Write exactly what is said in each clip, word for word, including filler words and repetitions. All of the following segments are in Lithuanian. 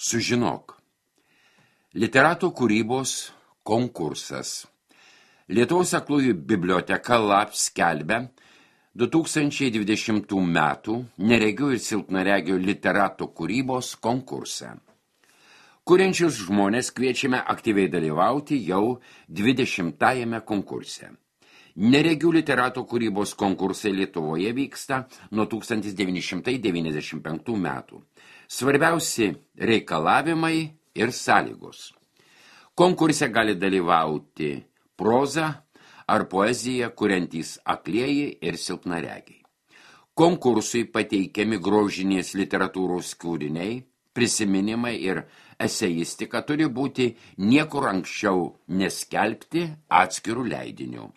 Sužinok. Literatų kūrybos konkursas. Lietuvos aklųjų biblioteka LAB skelbia du tūkstančiai dvidešimtų metų neregių ir silpnaregių literatų kūrybos konkursą. Kuriančius žmonės kviečiame aktyviai dalyvauti jau dvidešimtajame konkurse. Neregių literatų kūrybos konkursai Lietuvoje vyksta nuo tūkstantis devyni šimtai devyniasdešimt penktų metų. Svarbiausi reikalavimai ir sąlygos. Konkurse gali dalyvauti proza ar poezija kuriantys aklieji ir silpnaregiai. Konkursui pateikiami grožinės literatūros kūriniai, prisiminimai ir eseistika turi būti niekur anksčiau neskelbti atskirų leidinių.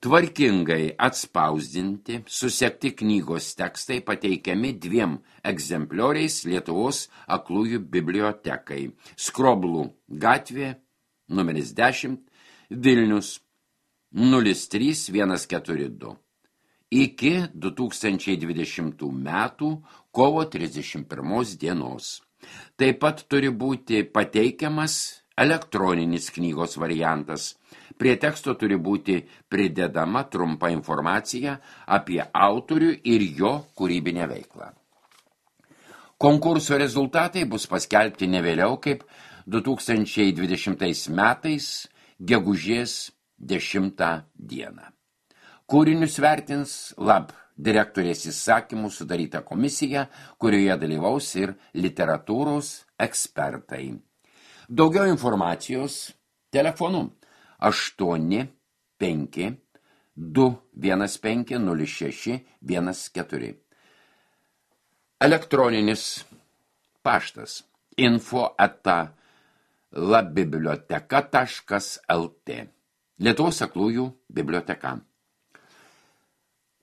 Tvarkingai atspausdinti, susekti knygos tekstai pateikiami dviem egzemplioriais Lietuvos aklųjų bibliotekai. Skroblų gatvė, numeris dešimt, Vilnius, nulis trys vienas keturi du. Iki du tūkstančiai dvidešimtų metų kovo trisdešimt pirmos dienos. Taip pat turi būti pateikiamas elektroninis knygos variantas. Prie teksto turi būti pridedama trumpa informacija apie autorių ir jo kūrybinę veiklą. Konkurso rezultatai bus paskelbti ne vėliau kaip du tūkstančiai dvidešimtais metais gegužės dešimtą dieną. Kūrinius vertins LAB direktorės įsakymų sudaryta komisija, kurioje dalyvaus ir literatūros ekspertai. Daugiau informacijos telefonu aštuoni penki du vienas penki nulis šeši vienas keturi. Elektroninis paštas info eta labiblioteka taškas lt. Lietuvos aklųjų biblioteka.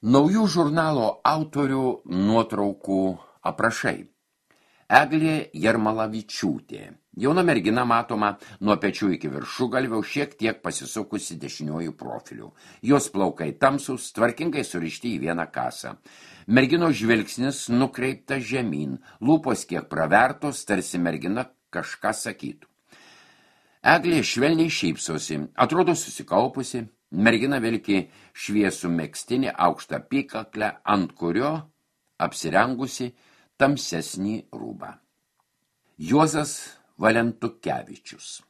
Naujų žurnalo autorių nuotraukų aprašai. Eglė Jarmalavičiūtė. Jauna mergina matoma nuo pečių iki viršugalvio, šiek tiek pasisukusi dešiniojų profilių. Jos plaukai tamsūs, tvarkingai surišti į vieną kasą. Merginos žvilgsnis nukreipta žemyn, lūpos kiek pravertos, tarsi mergina kažką sakytų. Eglė švelniai šypsosi, atrodo susikaupusi, mergina vilki šviesų megztinį aukštą apykaklę, ant kurio apsirengusi tamsesnį rūbą. Juozas Valentukevičius.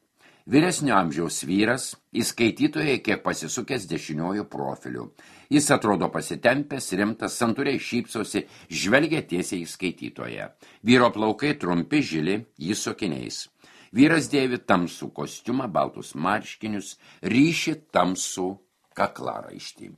Vyresnio amžiaus vyras, įskaitytoje kiek pasisukęs dešiniojų profilių. Jis atrodo pasitempęs, rimtas, santūriai šypsosi, žvelgia tiesiai į skaitytoje. Vyro plaukai trumpi, žili, jis su akiniais. Vyras dėvi tamsų kostiumą, baltus marškinius, ryši tamsų kaklaraištį.